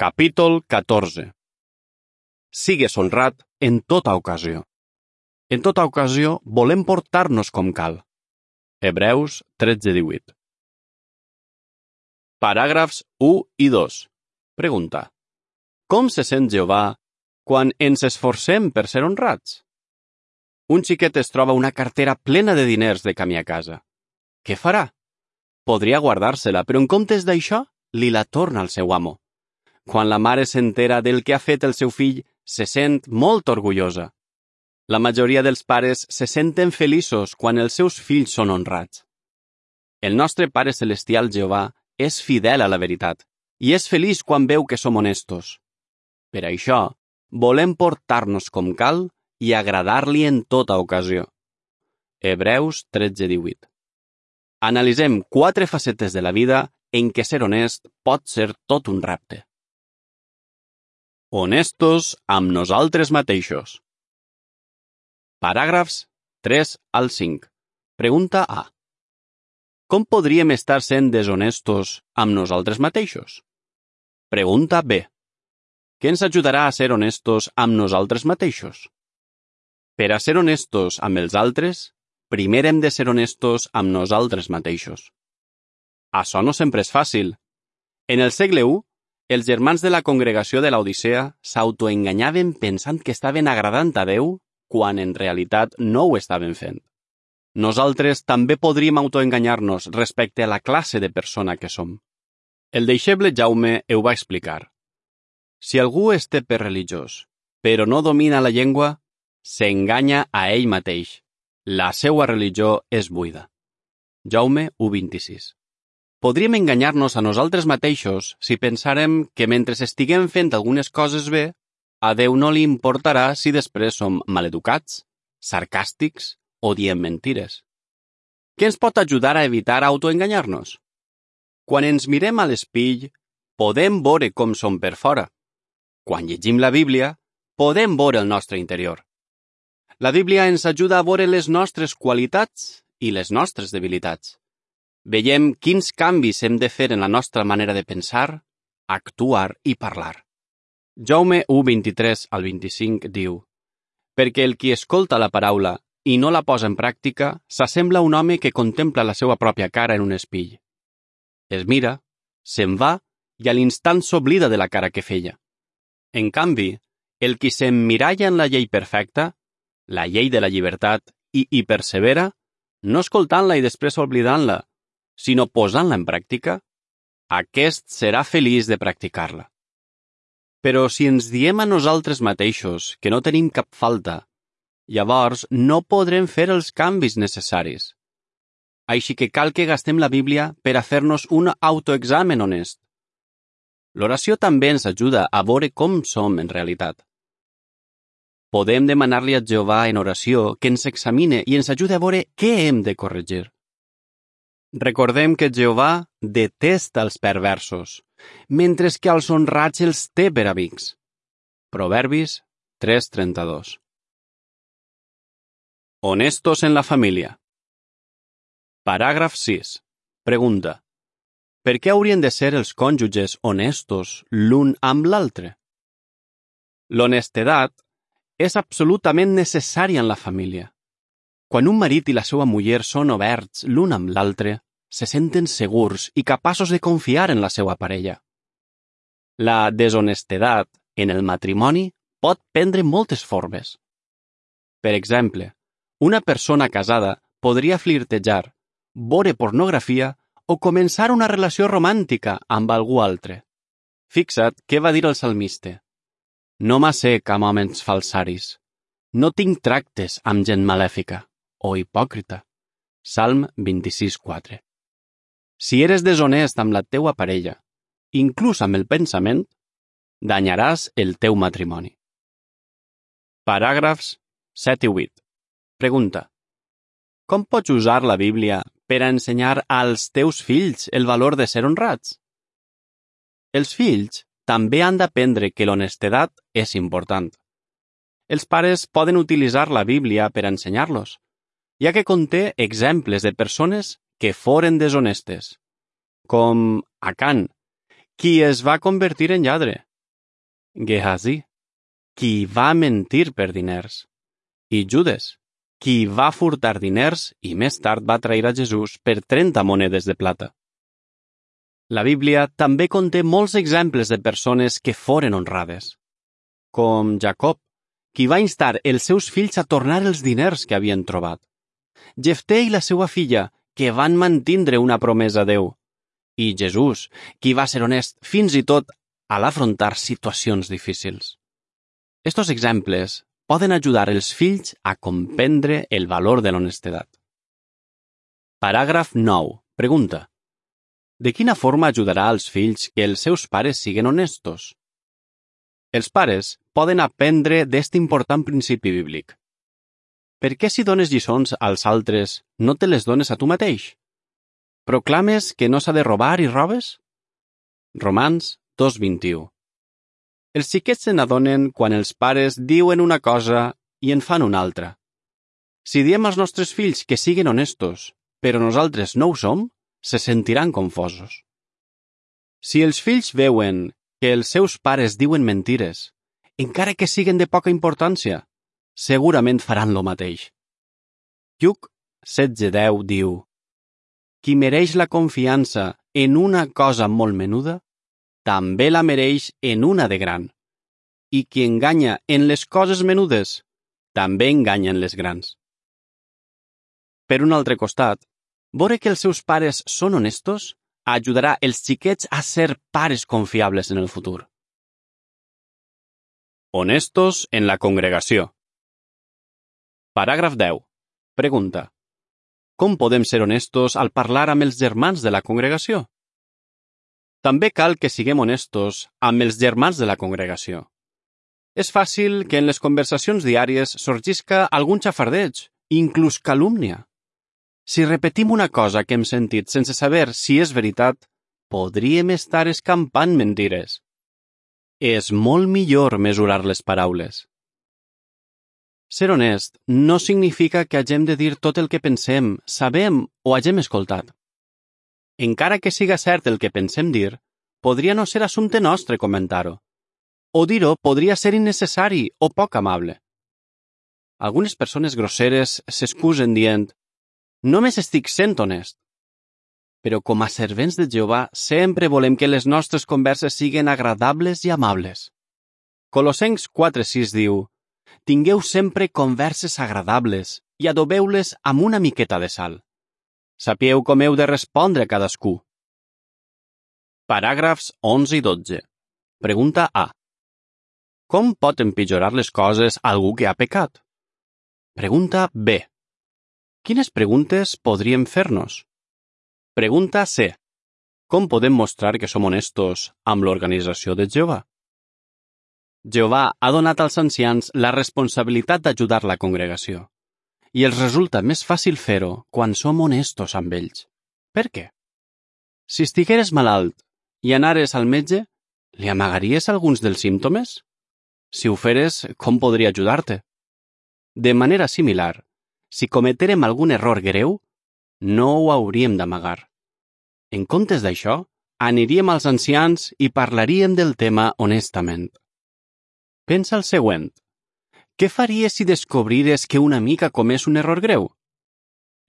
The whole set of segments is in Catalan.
Capítol 14. Sigues honrat en tota ocasió. En tota ocasió volem portar-nos com cal. Hebreus 13:18. Paràgrafs 1 i 2. Pregunta. Com se sent Jehovà quan ens esforcem per ser honrats? Un xiquet es troba una cartera plena de diners de camí a casa. Què farà? Podria guardar-se-la, però en comptes d'això, li la torna al seu amo. Quan la mare s'entera del que ha fet el seu fill, se sent molt orgullosa. La majoria dels pares se senten feliços quan els seus fills són honrats. El nostre Pare Celestial Jehovà és fidel a la veritat i és feliç quan veu que som honestos. Per això, volem portar-nos com cal i agradar-li en tota ocasió. Hebreus 13:18. Analitzem 4 facetes de la vida en què ser honest pot ser tot un repte. Honestos amb nosaltres mateixos. Paràgrafs 3 al 5. Pregunta A. Com podríem estar sent deshonestos amb nosaltres mateixos? Pregunta B. Què ens ajudarà a ser honestos amb nosaltres mateixos? Per a ser honestos amb els altres, primer hem de ser honestos amb nosaltres mateixos. Això no sempre és fàcil. En el segle I, els germans de la congregació de l'Odissea s'autoenganyaven pensant que estaven agradant a Déu quan en realitat no ho estaven fent. Nosaltres també podríem autoenganyar-nos respecte a la classe de persona que som. El deixeble Jaume ho va explicar. Si algú es té per religiós, però no domina la llengua, s'enganya a ell mateix. La seua religió és buida. Jaume 1:26. Podríem enganyar-nos a nosaltres mateixos si pensarem que mentre estiguem fent algunes coses bé, a Déu no li importarà si després som maleducats, sarcàstics o diem mentires. Què ens pot ajudar a evitar autoenganyar-nos? Quan ens mirem a l'espill, podem veure com som per fora. Quan llegim la Bíblia, podem veure el nostre interior. La Bíblia ens ajuda a veure les nostres qualitats i les nostres debilitats. Veiem quins canvis hem de fer en la nostra manera de pensar, actuar i parlar. Jaume 1:23 al 25 diu: Perquè el qui escolta la paraula i no la posa en pràctica s'assembla a un home que contempla la seva pròpia cara en un espill. Es mira, se'n va i a l'instant s'oblida de la cara que feia. En canvi, el qui s'emmiralla en la llei perfecta, la llei de la llibertat, i hi persevera, no escoltant-la i després oblidant-la, sinó posant-la en pràctica, aquest serà feliç de practicar-la. Però si ens diem a nosaltres mateixos que no tenim cap falta, llavors no podrem fer els canvis necessaris. Així que cal que gastem la Bíblia per a fer-nos un autoexamen honest. L'oració també ens ajuda a veure com som en realitat. Podem demanar-li a Jehovà en oració que ens examine i ens ajude a veure què hem de corregir. Recordem que Jehovà detesta els perversos, mentre que als honrats els té per amics. Proverbis 3:32. Honestos en la família. Paràgraf 6. Pregunta. Per què haurien de ser els cònjuges honestos l'un amb l'altre? L'honestedat és absolutament necessària en la família. Quan un marit i la seva muller són oberts l'un amb l'altre, se senten segurs i capaços de confiar en la seva parella. La deshonestedat en el matrimoni pot prendre moltes formes. Per exemple, una persona casada podria flirtejar, veure pornografia o començar una relació romàntica amb algú altre. Fixa't què va dir el salmista. No m'assec amb homes falsaris. No tinc tractes amb gent malèfica o hipòcrita. Salm 26:4. Si eres deshonest amb la teua parella, inclús amb el pensament, danyaràs el teu matrimoni. Paràgrafs 7 i 8. Pregunta. Com pots usar la Bíblia per a ensenyar als teus fills el valor de ser honrats? Els fills també han d'aprendre que l'honestedat és important. Els pares poden utilitzar la Bíblia per a ensenyar-los, ja que conté exemples de persones que foren deshonestes, com Acán, qui es va convertir en lladre, Gehazi, qui va mentir per diners, i Judes, qui va furtar diners i més tard va trair a Jesús per 30 monedes de plata. La Bíblia també conté molts exemples de persones que foren honrades, com Jacob, qui va instar els seus fills a tornar els diners que havien trobat, Jefté i la seva filla, que van mantindre una promesa a Déu, i Jesús, qui va ser honest fins i tot a l'afrontar situacions difícils. Estos exemples poden ajudar els fills a comprendre el valor de l'honestedat. Paràgraf 9. Pregunta. De quina forma ajudarà als fills que els seus pares siguen honestos? Els pares poden aprendre d'este important principi bíblic. Per què si dones lliçons als altres no te les dones a tu mateix? Proclames que no s'ha de robar i robes? Romans 2:21. Els xiquets se n'adonen quan els pares diuen una cosa i en fan una altra. Si diem als nostres fills que siguin honestos, però nosaltres no ho som, se sentiran confosos. Si els fills veuen que els seus pares diuen mentires, encara que siguen de poca importància, segurament faran lo mateix. Lluc 16:10 diu: Qui mereix la confiança en una cosa molt menuda, també la mereix en una de gran. I qui enganya en les coses menudes, també enganya en les grans. Per un altre costat, veure que els seus pares són honestos ajudarà els xiquets a ser pares confiables en el futur. Honestos en la congregació. Paràgraf 10. Pregunta. Com podem ser honestos al parlar amb els germans de la congregació? També cal que siguem honestos amb els germans de la congregació. És fàcil que en les conversacions diàries sorgisca algun xafardeig, inclús calúmnia. Si repetim una cosa que hem sentit sense saber si és veritat, podríem estar escampant mentires. És molt millor mesurar les paraules. Ser honest no significa que hagem de dir tot el que pensem, sabem o hagem escoltat. Encara que siga cert el que pensem dir, podria no ser assumpte nostre comentar-ho. O dir-ho podria ser innecessari o poc amable. Algunes persones grosseres s'excusen dient: «Només estic sent honest». Però com a servents de Jehovà sempre volem que les nostres converses siguin agradables i amables. Colossencs 4:6 diu: «Tingueu sempre converses agradables i adobeu-les amb una miqueta de sal. Sapieu com heu de respondre a cadascú». Paràgrafs 11 i 12. Pregunta A. Com pot empitjorar les coses algú que ha pecat? Pregunta B. Quines preguntes podríem fer-nos? Pregunta C. Com podem mostrar que som honestos amb l'organització de Jehovà? Jehovà ha donat als ancians la responsabilitat d'ajudar la congregació, i els resulta més fàcil fer-ho quan som honestos amb ells. Per què? Si estigueres malalt i anares al metge, li amagaries alguns dels símptomes? Si ho feres, com podria ajudar-te? De manera similar, si cometerem algun error greu, no ho hauríem d'amagar. En comptes d'això, aniríem als ancians i parlaríem del tema honestament. Pensa el següent. Què faries si descobrires que un amic ha comès un error greu?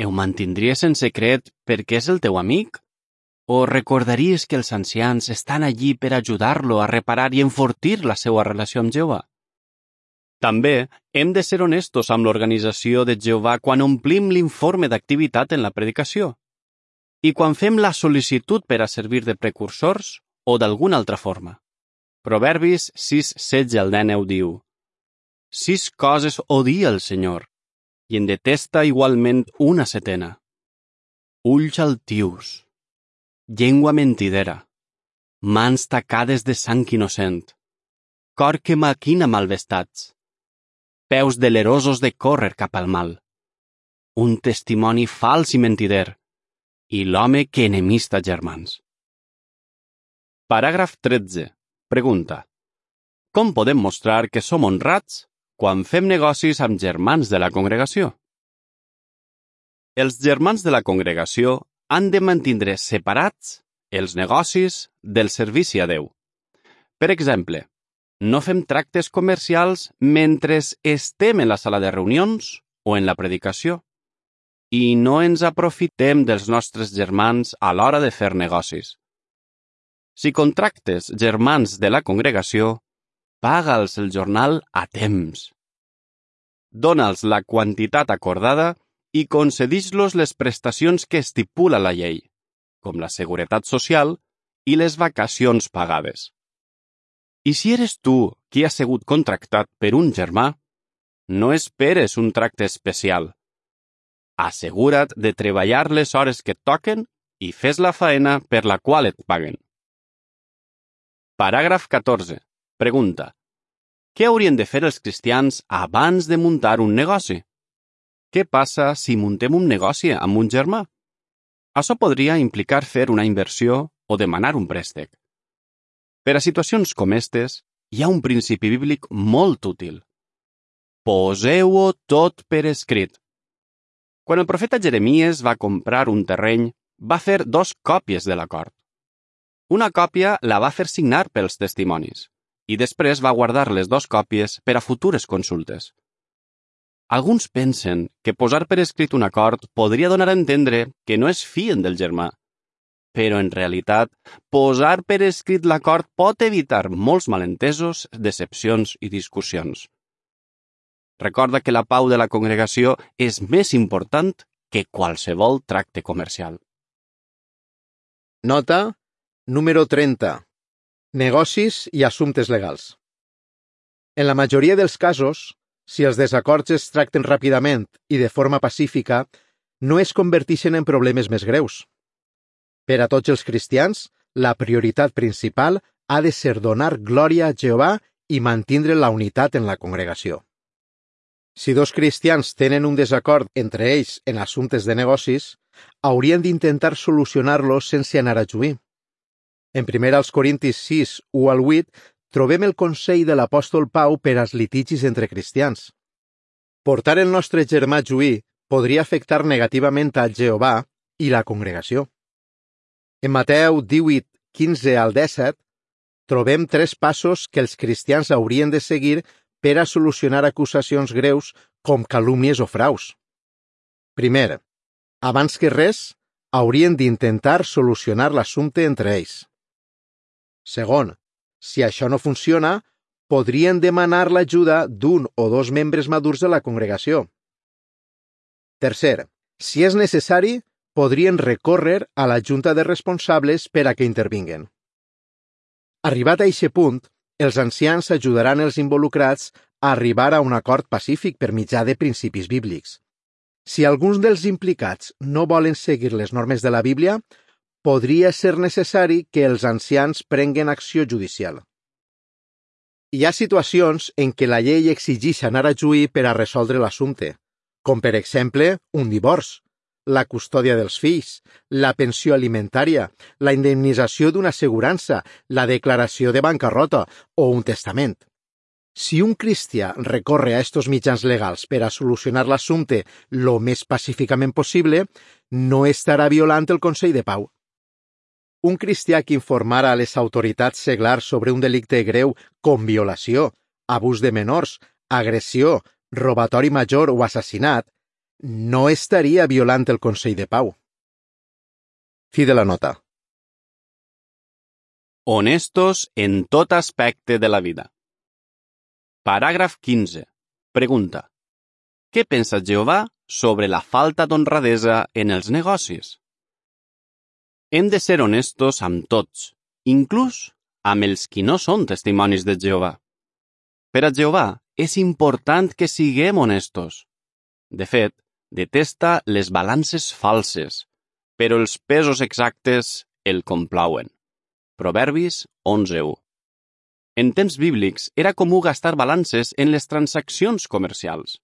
Ho mantindries en secret perquè és el teu amic? O recordaries que els ancians estan allí per ajudar-lo a reparar i enfortir la seva relació amb Jehovà? També hem de ser honestos amb l'organització de Jehovà quan omplim l'informe d'activitat en la predicació i quan fem la sol·licitud per a servir de precursors o d'alguna altra forma. Proverbis 6:16-19 diu: 6 coses odia el Senyor i en detesta igualment una setena: ulls altius, llengua mentidera, mans tacades de sang innocent, cor que maquina malvestats, peus delerosos de córrer cap al mal, un testimoni fals i mentider, i l'home que enemista germans. Paràgraf 13. Pregunta. Com podem mostrar que som honrats quan fem negocis amb germans de la congregació? Els germans de la congregació han de mantindre separats els negocis del servici a Déu. Per exemple, No fem tractes comercials mentre estem en la sala de reunions o en la predicació. I no ens aprofitem dels nostres germans a l'hora de fer negocis. Si contractes germans de la congregació, paga'ls el jornal a temps. Dona'ls la quantitat acordada i concedix-los les prestacions que estipula la llei, com la seguretat social i les vacacions pagades. I si eres tu qui ha sigut contractat per un germà, no esperes un tracte especial. Assegura't de treballar les hores que et toquen i fes la faena per la qual et paguen. Paràgraf 14. Pregunta. Què haurien de fer els cristians abans de muntar un negoci? Què passa si muntem un negoci amb un germà? Això podria implicar fer una inversió o demanar un préstec. Per a situacions com aquestes, hi ha un principi bíblic molt útil. Poseu-ho tot per escrit. Quan el profeta Jeremies va comprar un terreny, va fer 2 còpies de l'acord. Una còpia la va fer signar pels testimonis i després va guardar les 2 còpies per a futures consultes. Alguns pensen que posar per escrit un acord podria donar a entendre que no es fien del germà, però en realitat, posar per escrit l'acord pot evitar molts malentesos, decepcions i discussions. Recorda que la pau de la congregació és més important que qualsevol tracte comercial. Nota número 30. Negocis i assumptes legals. En la majoria dels casos, si els desacords es tracten ràpidament i de forma pacífica, no es converteixen en problemes més greus. Per a tots els cristians, la prioritat principal ha de ser donar glòria a Jehovà i mantindre la unitat en la congregació. Si 2 cristians tenen un desacord entre ells en assumptes de negocis, haurien d'intentar solucionar-los sense anar a juí. En 1 Corintis 6, 1 al 8, trobem el consell de l'apòstol Pau per als litigis entre cristians. Portar el nostre germà a juí podria afectar negativament a Jehovà i la congregació. En Mateu 18, 15 al 17, trobem 3 passos que els cristians haurien de seguir per a solucionar acusacions greus com calúmnies o fraus. Primer, abans que res, haurien d'intentar solucionar l'assumpte entre ells. Segon, si això no funciona, podrien demanar l'ajuda d'un o 2 membres madurs de la congregació. Tercer, si és necessari, podrien recórrer a la junta de responsables per a que intervinguen. Arribat a aquest punt, els ancians ajudaran els involucrats a arribar a un acord pacífic per mitjà de principis bíblics. Si alguns dels implicats no volen seguir les normes de la Bíblia, podria ser necessari que els ancians prenguen acció judicial. Hi ha situacions en què la llei exigeix anar a juí per a resoldre l'assumpte, com per exemple un divorci, la custòdia dels fills, la pensió alimentària, la indemnització d'una assegurança, la declaració de bancarrota o un testament. Si un cristià recorre a estos mitjans legals per a solucionar l'assumpte lo més pacíficament possible, no estarà violant el consell de pau. Un cristià que informara a les autoritats seglars sobre un delicte greu com violació, abús de menors, agressió, robatori major o assassinat, no estaria violant el consell de pau. Fi de la nota. Honestos en tot aspecte de la vida. Paràgraf 15. Pregunta. Què pensa Jehovà sobre la falta d'honradesa en els negocis? Hem de ser honestos amb tots, inclús amb els qui no són testimonis de Jehovà. Per a Jehovà és important que siguem honestos. De fet, detesta les balances falses, però els pesos exactes el complauen. Proverbis 11:1. En temps bíblics era comú gastar balances en les transaccions comercials.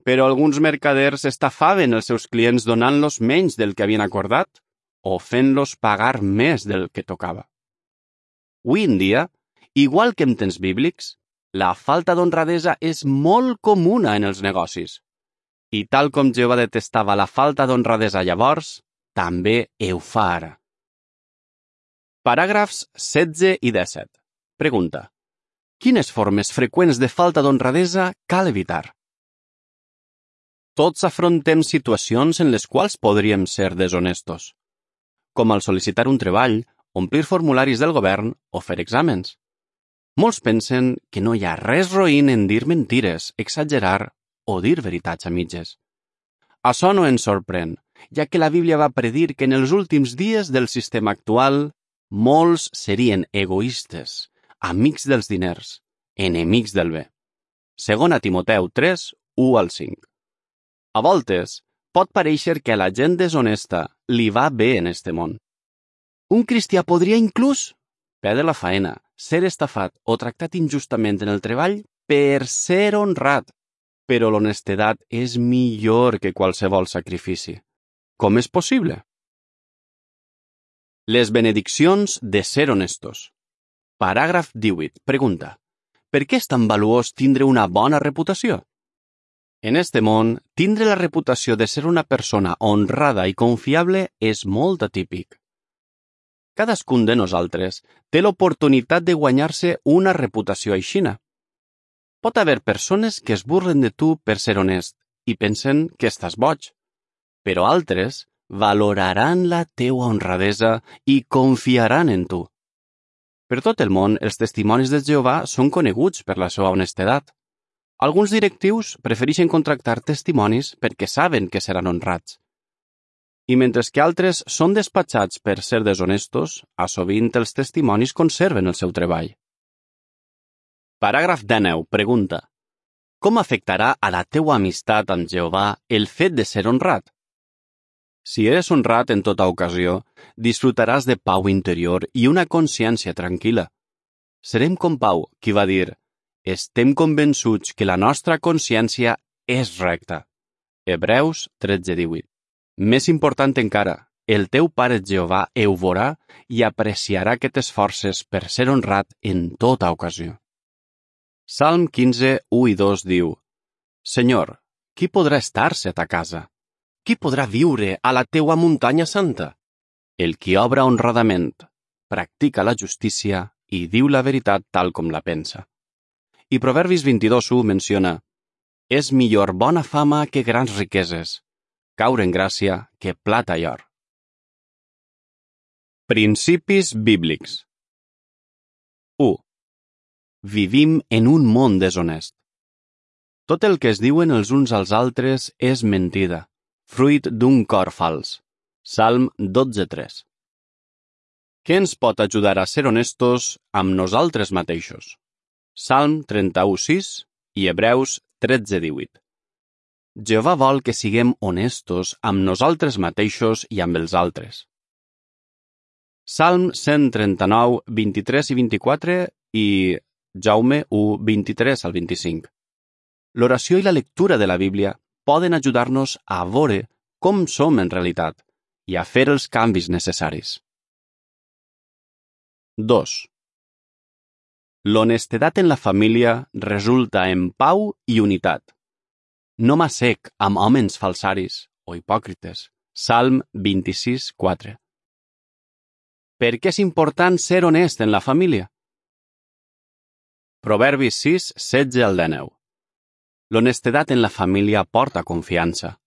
Però alguns mercaders estafaven els seus clients donant-los menys del que havien acordat o fent-los pagar més del que tocava. Avui en dia, igual que en temps bíblics, la falta d'honradesa és molt comuna en els negocis. I tal com Jehovà detestava la falta d'honradesa llavors, també ho fa ara. Paràgrafs 16 i 17. Pregunta. Quines formes freqüents de falta d'honradesa cal evitar? Tots afrontem situacions en les quals podríem ser deshonestos, com al sol·licitar un treball, omplir formularis del govern o fer exàmens. Molts pensen que no hi ha res roïn en dir mentires, exagerar o dir veritats a mitges. Això no ens sorprèn, ja que la Bíblia va predir que en els últims dies del sistema actual molts serien egoistes, amics dels diners, enemics del bé. Segona Timoteu 3, 1-5. A voltes, pot parèixer que a la gent deshonesta li va bé en este món. Un cristià podria inclús perdre la faena, ser estafat o tractat injustament en el treball per ser honrat, però l'honestedat és millor que qualsevol sacrifici. Com és possible? Les benediccions de ser honestos. Paràgraf 18. Pregunta. Per què és tan valuós tindre una bona reputació? En este món, tindre la reputació de ser una persona honrada i confiable és molt atípic. Cadascun de nosaltres té l'oportunitat de guanyar-se una reputació aixina. Pot haver persones que es burlen de tu per ser honest i pensen que estàs boig, però altres valoraran la teua honradesa i confiaran en tu. Per tot el món, els testimonis de Jehovà són coneguts per la seva honestedat. Alguns directius prefereixen contractar testimonis perquè saben que seran honrats. I mentre que altres són despatxats per ser deshonestos, a sovint els testimonis conserven el seu treball. Paràgraf 19. Pregunta. Com afectarà a la teua amistat amb Jehovà el fet de ser honrat? Si eres honrat en tota ocasió, disfrutaràs de pau interior i una consciència tranquil·la. Serem com Pau, qui va dir: estem convençuts que la nostra consciència és recta. Hebreus 13:18. Més important encara, el teu pare Jehovà ho veurà i apreciarà que t'esforces per ser honrat en tota ocasió. Salm 15, 1 i 2 diu: Senyor, qui podrà estar-se a ta casa? Qui podrà viure a la teua muntanya santa? El qui obra honradament, practica la justícia i diu la veritat tal com la pensa. I Proverbis 22:1 menciona: és millor bona fama que grans riqueses, caure en gràcia que plata i or. Principis bíblics. 1. Vivim en un món deshonest. Tot el que es diuen els uns als altres és mentida, fruit d'un cor fals. Salm 12:3. Què ens pot ajudar a ser honestos amb nosaltres mateixos? Salm 31:6 i Hebreus 13:18. Jehovà vol que siguem honestos amb nosaltres mateixos i amb els altres. Salm 139, 23 i 24 i Jaume 1, 23-25. L'oració i la lectura de la Bíblia poden ajudar-nos a veure com som en realitat i a fer els canvis necessaris. 2. L'honestedat en la família resulta en pau i unitat. No m'assec amb homes falsaris o hipòcrites. Salm 26:4. Per què és important ser honest en la família? Proverbis 6, 16-19. L'honestedat en la família porta confiança.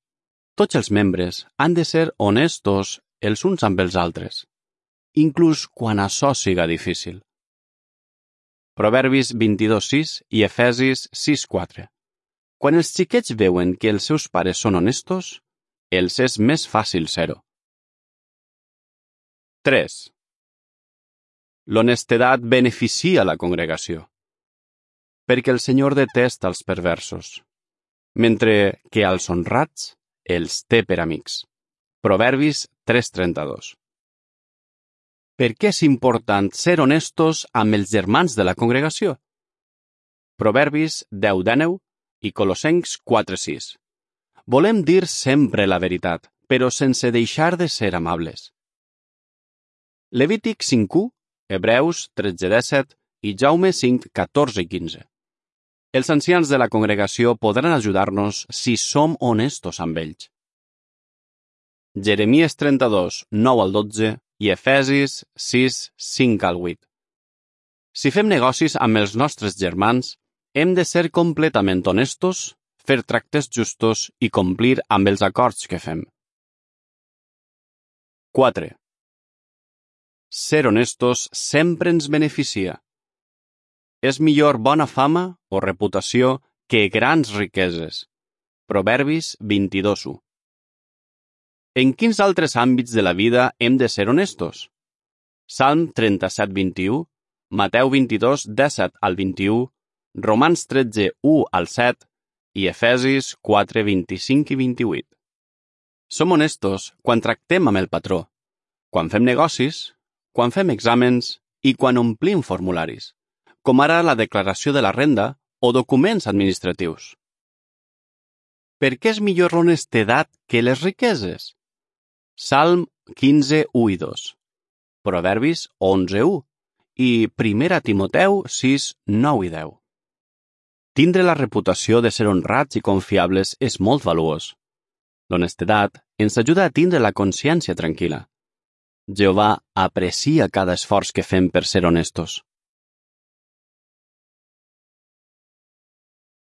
Tots els membres han de ser honestos els uns amb els altres, inclús quan això siga difícil. Proverbis 22:6 i Efesis 6:4. Quan els xiquets veuen que els seus pares són honestos, els és més fàcil ser-ho. 3. L'honestedat beneficia la congregació, perquè el Senyor detesta els perversos, mentre que als honrats els té per amics. Proverbis 3:32. Per què és important ser honestos amb els germans de la congregació? Proverbis 10:19 i Colossencs 4:6. Volem dir sempre la veritat, però sense deixar de ser amables. Levític 5:1, Hebreus 13:17 i Jaume 5:14 i 15. Els ancians de la congregació podran ajudar-nos si som honestos amb ells. Jeremies 32, 9-12 i Efesis 6, 5-8. Si fem negocis amb els nostres germans, hem de ser completament honestos, fer tractes justos i complir amb els acords que fem. 4. Ser honestos sempre ens beneficia. És millor bona fama o reputació que grans riqueses. Proverbis 22:1. En quins altres àmbits de la vida hem de ser honestos? Salm 37:21, Mateu 22:17-21, Romans 13:1-7 i Efesis 4:25 i 28. Som honestos quan tractem amb el patró, quan fem negocis, quan fem exàmens i quan omplim formularis, com ara la declaració de la renda o documents administratius. Per què és millor l'honestedat que les riqueses? Salm 15:1-2, Proverbis 11:1 i 1 Timoteu 6:9-10. Tindre la reputació de ser honrats i confiables és molt valuós. L'honestedat ens ajuda a tindre la consciència tranquil·la. Jehovà aprecia cada esforç que fem per ser honestos.